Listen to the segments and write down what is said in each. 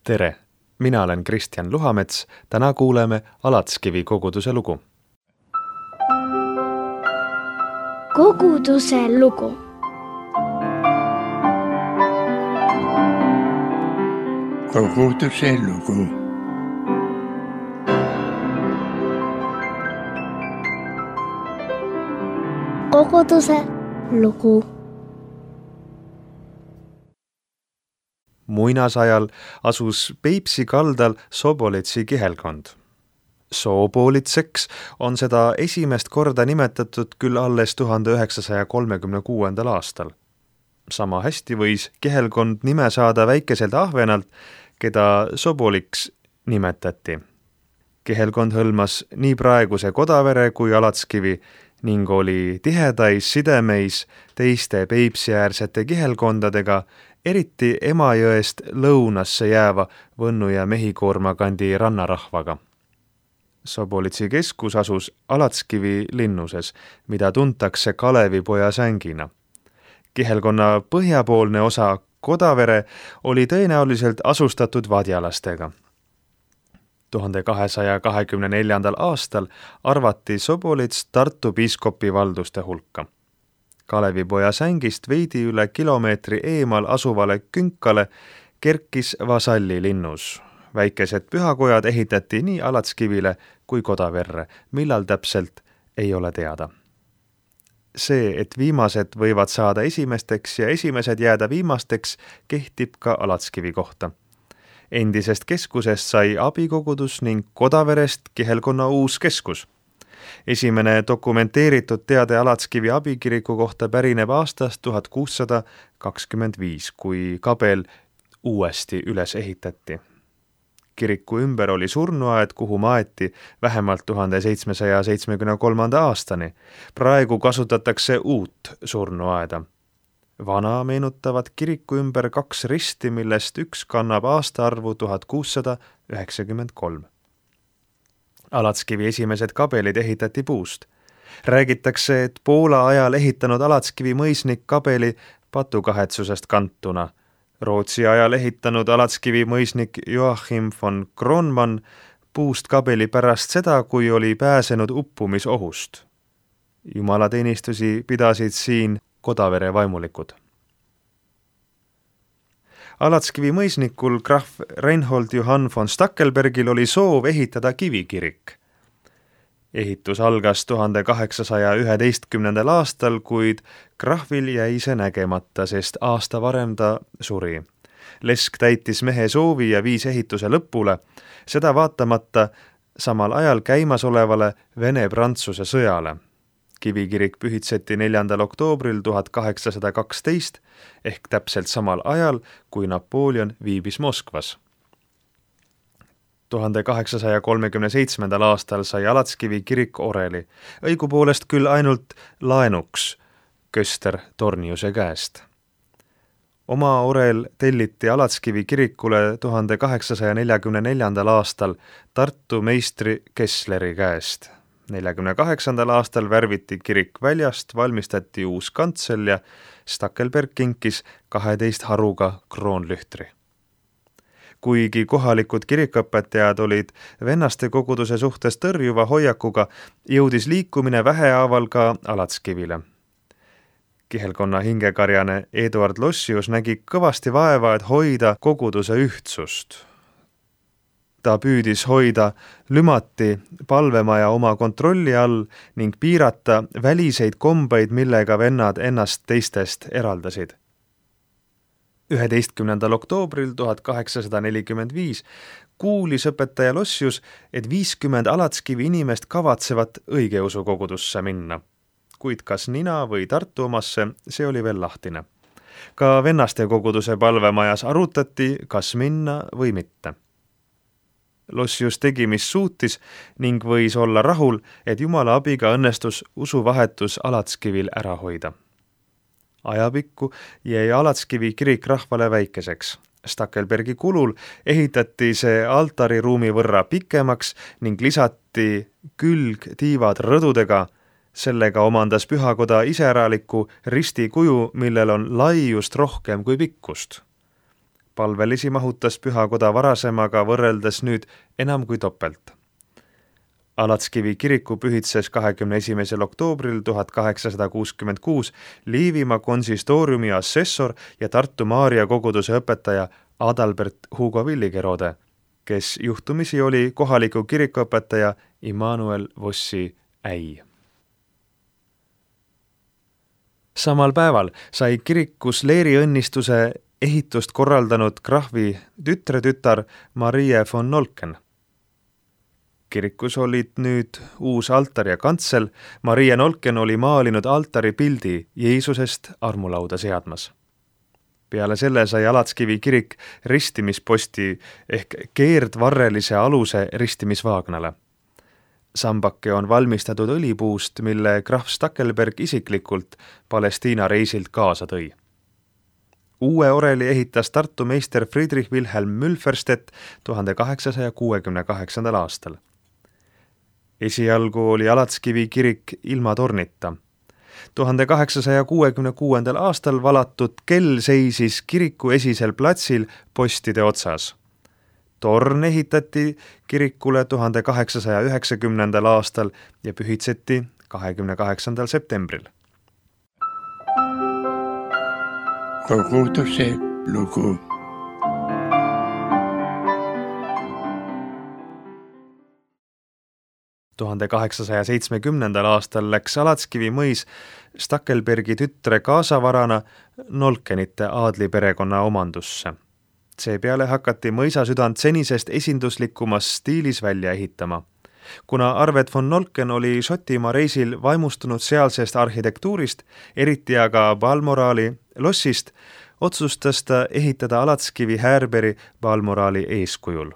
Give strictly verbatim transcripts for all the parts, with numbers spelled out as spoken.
Tere! Mina olen Kristjan Luhamets, täna kuuleme Alatskivi koguduse lugu. Koguduse lugu. Koguduse lugu. Koguduse lugu. Muinasajal asus Peipsi kaldal Sobolitsi kihelkond. Sobolitseks on seda esimest korda nimetatud küll alles tuhande üheksasaja kolmekümne kuuendal aastal. Sama hästi võis kihelkond nime saada väikeselt ahvenalt, keda Soboliks nimetati. Kihelkond hõlmas nii praeguse Kodavere kui Alatskivi ning oli tihedais sidemeis teiste Peipsiäärsete kihelkondadega, eriti Emajõest lõunasse jääva Võnnu ja Mehikoorma kandi rannarahvaga. Sobolitsi keskus asus Alatskivi linnuses, mida tuntakse Kalevipoja sängina. Kihelkonna põhjapoolne osa Kodavere oli tõenäoliselt asustatud vadjalastega. tuhande kahesaja kahekümne neljandal aastal arvati Sobolits Tartu piiskopi valduste hulka. Kalevipoja sängist veidi üle kilomeetri eemal asuvale künkale kerkis vasalli linnus. Väikesed pühakojad ehitati nii Alatskivile kui Kodaverre, millal täpselt ei ole teada. See, et viimased võivad saada esimesteks ja esimesed jääda viimasteks, kehtib ka Alatskivi kohta. Endisest keskusest sai abikogudus ning Kodaverest kihelkonna uus keskus. Esimene dokumenteeritud teade Alatskivi abikiriku kohta pärineb aastast tuhat kuussada kakskümmend viis, kui kabel uuesti üles ehitati. Kiriku ümber oli surnuaed, kuhu maeti vähemalt tuhande seitsmesaja seitsmekümne kolmanda aastani. Praegu kasutatakse uut surnuaeda. Vana meenutavad kiriku ümber kaks risti, millest üks kannab aastaarvu tuhat kuussada üheksakümmend kolm. Alatskivi esimesed kabelid ehitati puust. Räägitakse, et Poola ajal ehitanud Alatskivi mõisnik kabeli patukahetsusest kantuna. Rootsi ajal ehitanud Alatskivi mõisnik Joachim von Kronman puust kabeli pärast seda, kui oli pääsenud uppumisohust. Jumalateenistusi pidasid siin Kodavere vaimulikud. Alatskivi mõisnikul krahv Reinhold Johann von Stackelbergil oli soov ehitada kivikirik. Ehitus algas tuhande kaheksasaja üheteistkümnendal aastal, kuid krahvil jäi see nägemata, sest aasta varem ta suri. Lesk täitis mehe soovi ja viis ehituse lõpule, seda vaatamata samal ajal käimasolevale Vene-Prantsuse sõjale. Kivikirik pühitseti neljandal oktoobril tuhat kaheksasada kaksteist ehk täpselt samal ajal, kui Napoleon viibis Moskvas. tuhande kaheksasaja kolmekümne seitsmendal aastal sai Alatskivi kirik oreli, õigupoolest küll ainult laenuks Köster Torniuse käest. Oma orel telliti Alatskivi kirikule tuhande kaheksasaja neljakümne neljandal aastal Tartu meistri Kessleri käest. neljakümne kaheksandal aastal värviti kirik väljast, valmistati uus kantsel ja Stackelberg kinkis kaheteist haruga kroonlühtri. Kuigi kohalikud kirikõpetajad olid vennaste koguduse suhtes tõrjuva hoiakuga, jõudis liikumine vähehaaval ka Alatskivile. Kihelkonna hingekarjane Eduard Lossius nägi kõvasti vaeva, et hoida koguduse ühtsust. Ta püüdis hoida Lümati palvemaja oma kontrolli all ning piirata väliseid kombeid, millega vennad ennast teistest eraldasid. üheteistkümnendal oktoobril tuhat kaheksasada nelikümmend viis kuulis õpetaja Lossius, et viiskümmend Alatskivi inimest kavatsevad õigeusu kogudusse minna. Kuid kas Nina või Tartu omasse, see oli veel lahtine. Ka vennaste koguduse palvemajas arutati, kas minna või mitte. Lossius tegi, mis suutis ning võis olla rahul, et Jumala abiga õnnestus usuvahetus Alatskivil ära hoida. Ajapikku jäi Alatskivi kirik rahvale väikeseks. Stackelbergi kulul ehitati see altariruumi võrra pikemaks ning lisati külgtiivad rõdudega. Sellega omandas pühakoda iseäraliku ristikuju, millel on laiust rohkem kui pikkust. Palvelisi mahutas pühakoda varasemaga võrreldes nüüd enam kui topelt. Alatskivi kiriku pühitses kahekümne esimesel oktoobril tuhat kaheksasada kuuskümmend kuus Liivimaa konsistooriumi assessor ja Tartu Maarja koguduse õpetaja Adalbert Hugo Villigerode, kes juhtumisi oli kohaliku kirikuõpetaja Immanuel Vossi äi. Samal päeval sai kirikus leeriõnnistuse ehitust korraldanud krahvi tütretütar Marie von Nolken. Kirikus olid nüüd uus altar ja kantsel. Marie Nolken oli maalinud altari pildi Jeesusest armulauda seadmas. Peale selle sai Alatskivi kirik ristimisposti ehk keerdvarrelise aluse ristimisvaagnale. Sambake on valmistatud õlipuust, mille krahv Stackelberg isiklikult Palestiina reisilt kaasa tõi. Uue oreli ehitas Tartu meister Friedrich Wilhelm Mülferstedt tuhande kaheksasaja kuuekümne kaheksandal aastal. Esialgu oli Alatskivi kirik ilma tornita. tuhande kaheksasaja kuuekümne kuuendal aastal valatud kell seisis kiriku esisel platsil postide otsas. Torn ehitati kirikule tuhande kaheksasaja üheksakümnendal aastal ja pühitseti kahekümne kaheksandal septembril. Koguduse lugu. tuhande kaheksasaja seitsmekümnendal aastal läks Alatskivi mõis Stackelbergi tütre kaasavarana Nolkenite aadliperekonna omandusse. Seepeale hakati mõisasüdant senisest esinduslikumas stiilis välja ehitama. Kuna Arvet von Nolken oli Šotimaa reisil vaimustunud sealsest arhitektuurist, eriti aga Balmoraali lossist, otsustas ta ehitada Alatskivi Härberi Balmoraali eeskujul.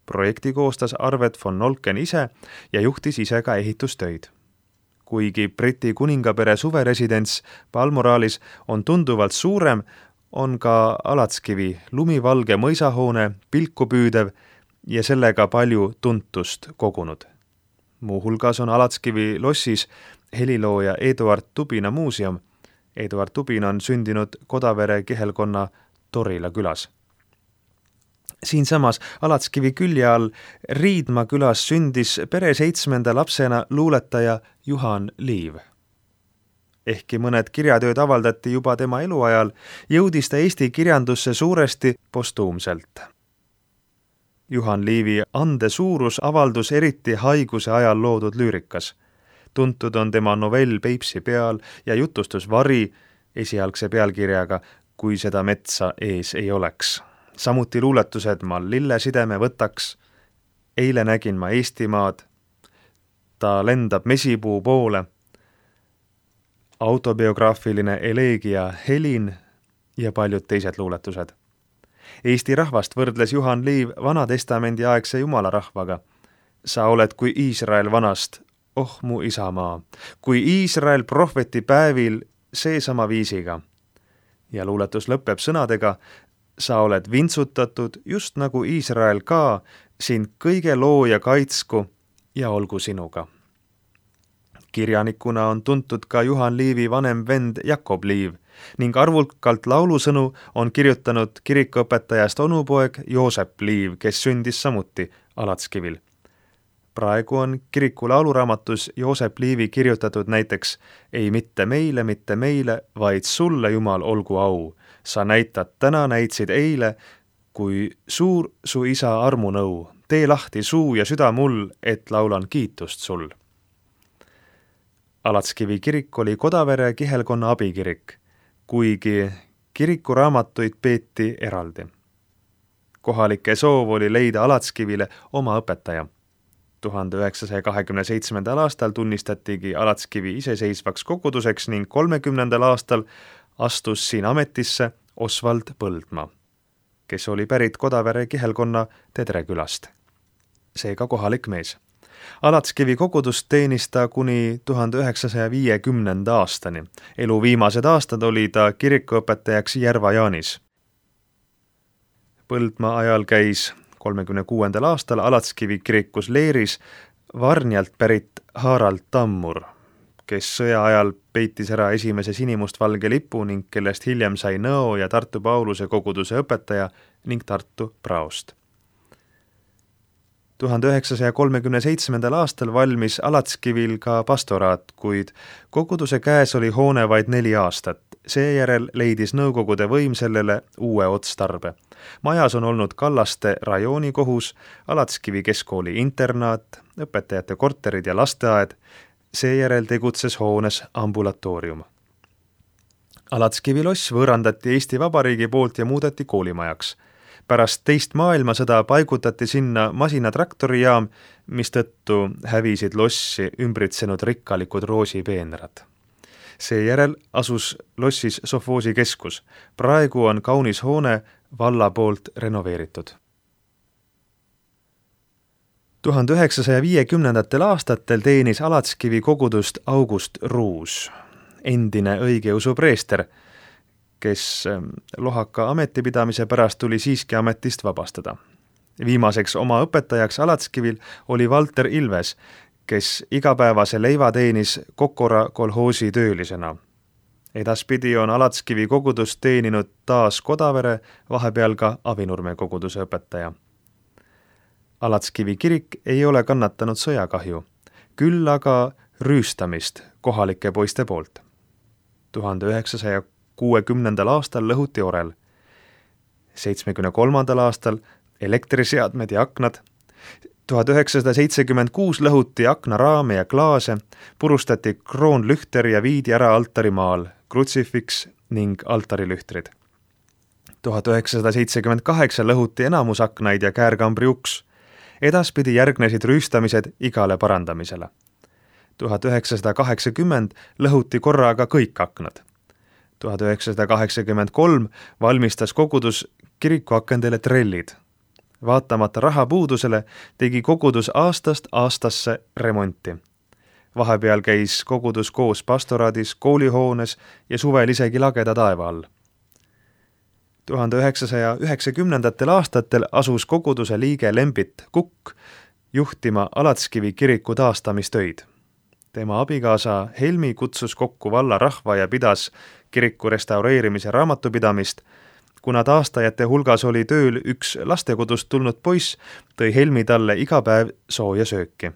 Projekti koostas Arvet von Nolken ise ja juhtis ise ka ehitustöid. Kuigi Briti kuningapere suveresidents Balmoraalis on tunduvalt suurem, on ka Alatskivi lumivalge mõisahoone pilku püüdev ja sellega palju tuntust kogunud. Muuhulgas on Alatskivi lossis helilooja Eduard Tubina muuseum. Eduard Tubin on sündinud Kodavere kihelkonna Torila külas. Siinsamas Alatskivi külje all Riidma külas sündis pere seitsmenda lapsena luuletaja Juhan Liiv. Ehkki mõned kirjatööd avaldati juba tema eluajal, jõudis ta Eesti kirjandusse suuresti postuumselt. Juhan Liivi ande suurus avaldus eriti haiguse ajal loodud lüürikas. Tuntud on tema novell Peipsi peal ja jutustus Vari esialgse pealkirjaga Kui seda metsa ees ei oleks. Samuti luuletused Ma lillesideme võtaks, Eile nägin ma Eestimaad, Ta lendab mesipuu poole, autobiograafiline eleegia Helin ja paljud teised luuletused. Eesti rahvast võrdles Juhan Liiv Vanatestamendi aegse jumalarahvaga. Sa oled kui Iisrael vanast, oh mu isamaa, kui Iisrael prohveti päevil seesama viisiga. Ja luuletus lõpeb sõnadega, sa oled vintsutatud just nagu Iisrael ka, sind kõige looja kaitsku ja olgu sinuga. Kirjanikuna on tuntud ka Juhan Liivi vanem vend Jakob Liiv ning arvulkalt laulusõnu on kirjutanud kirikuõpetajast onupoeg Joosep Liiv, kes sündis samuti Alatskivil. Praegu on kiriku lauluraamatus Joosep Liivi kirjutatud näiteks Ei mitte meile, mitte meile, vaid sulle, Jumal, olgu au. Sa näitad täna, näitsid eile, kui suur su isa armunõu. Tee lahti suu ja süda mul, et laulan kiitust sul. Alatskivi kirik oli Kodavere kihelkonna abikirik, kuigi kirikuraamatuid peeti eraldi. Kohalike soov oli leida Alatskivile oma õpetaja. tuhande üheksasaja kahekümne seitsmendal aastal tunnistatigi Alatskivi iseseisvaks koguduseks ning kolmekümnendal aastal astus siin ametisse Osvald Põldmaa, kes oli pärit Kodavere kihelkonna Tedrekülast. Seega kohalik mees. Alatskivi kogudust teenis ta kuni tuhande üheksasaja viiekümnenda aastani. Elu viimased aastad oli ta kirikuõpetajaks Järva-Jaanis. Põldmaa ajal käis kolmekümne kuuendal aastal Alatskivi kirikus leeris Varnjalt pärit Harald Tammur, kes sõja ajal peitis ära esimese sinimustvalge lipu ning kellest hiljem sai Nõo ja Tartu Pauluse koguduse õpetaja ning Tartu praost. tuhande üheksasaja kolmekümne seitsmendal aastal valmis Alatskivil ka pastoraat, kuid koguduse käes oli hoone vaid neli aastat. Seejärel leidis nõukogude võim sellele uue otstarbe. Majas on olnud Kallaste rajoonikohus, Alatskivi keskkooli internaat, õpetajate korterid ja lasteaed, seejärel tegutses hoones ambulatoorium. Alatskivi loss võõrandati Eesti Vabariigi poolt ja muudeti koolimajaks. Pärast teist maailmasõda paigutati sinna masinatraktorijaam, mistõttu hävisid lossi ümbritsenud rikkalikud roosipeenrad. Seejärel asus lossis sovhoosi keskus. Praegu on kaunis hoone valla poolt renoveeritud. tuhande üheksasaja viiekümnendatel aastatel teenis Alatskivi kogudust August Ruus, endine õigeusu preester, kes lohaka ametipidamise pärast tuli siiski ametist vabastada. Viimaseks oma õpetajaks Alatskivil oli Valter Ilves, kes igapäevase leiva teenis Kokora kolhoosi töölisena. Edaspidi on Alatskivi kogudust teeninud taas Kodavere, vahepeal ka Avinurme koguduse õpetaja. Alatskivi kirik ei ole kannatanud sõjakahju, küll aga rüüstamist kohalike poiste poolt. tuhande üheksasaja kuuekümnendal aastal lõhuti orel, seitsmekümne kolmandal aastal elektriseadmed ja aknad, tuhat üheksasada seitsekümmend kuus lõhuti aknaraame ja klaase, purustati kroonlühter ja viidi ära altarimaal, krutsifiks ning altarilühtrid. tuhat üheksasada seitsekümmend kaheksa lõhuti enamus aknaid ja käärkambri uks. Edaspidi järgnesid rüüstamised igale parandamisele. tuhat üheksasada kaheksakümmend lõhuti korraga kõik aknad. tuhat üheksasada kaheksakümmend kolm valmistas kogudus kirikuakendele trellid. Vaatamata rahapuudusele tegi kogudus aastast aastasse remonti. Vahepeal käis kogudus koos pastoraadis, koolihoones ja suvel isegi lageda taeva all. tuhande üheksasaja üheksakümnendatel aastatel asus koguduse liige Lembit Kukk juhtima Alatskivi kiriku taastamistöid. Tema abikaasa Helmi kutsus kokku valla rahva ja pidas kiriku restaureerimise raamatupidamist. Kuna taastajate hulgas oli tööl üks lastekodust tulnud poiss, tõi Helmi talle iga päev sooja sööki.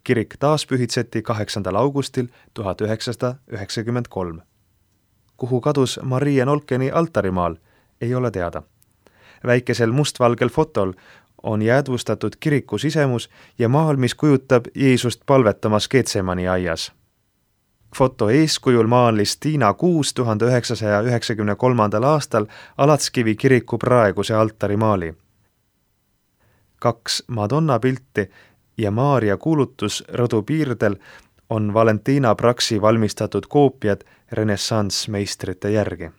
Kirik taas pühitseti kaheksandal augustil tuhat üheksasada üheksakümmend kolm. Kuhu kadus Maria Nolkeni altarimaal, ei ole teada. Väikesel mustvalgel fotol on jäädvustatud kiriku sisemus ja maal, mis kujutab Jeesust palvetamas Getsemani aias. Foto eeskujul maalis Tiina Kuus tuhande üheksasaja üheksakümne kolmandal aastal Alatskivi kiriku praeguse altarimaali. Kaks Madonna pilti ja Maaria kuulutus rõdu piirdel on Valentina Praksi valmistatud koopiad renessanssmeistrite järgi.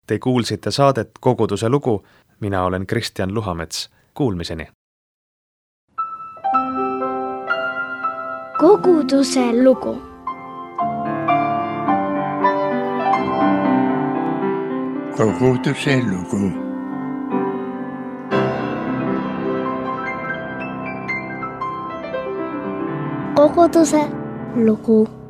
Te kuulsite saadet Koguduse lugu, mina olen Kristjan Luhamets. Kuulmiseni! Koguduse lugu. Koguduse lugu. Koguduse lugu.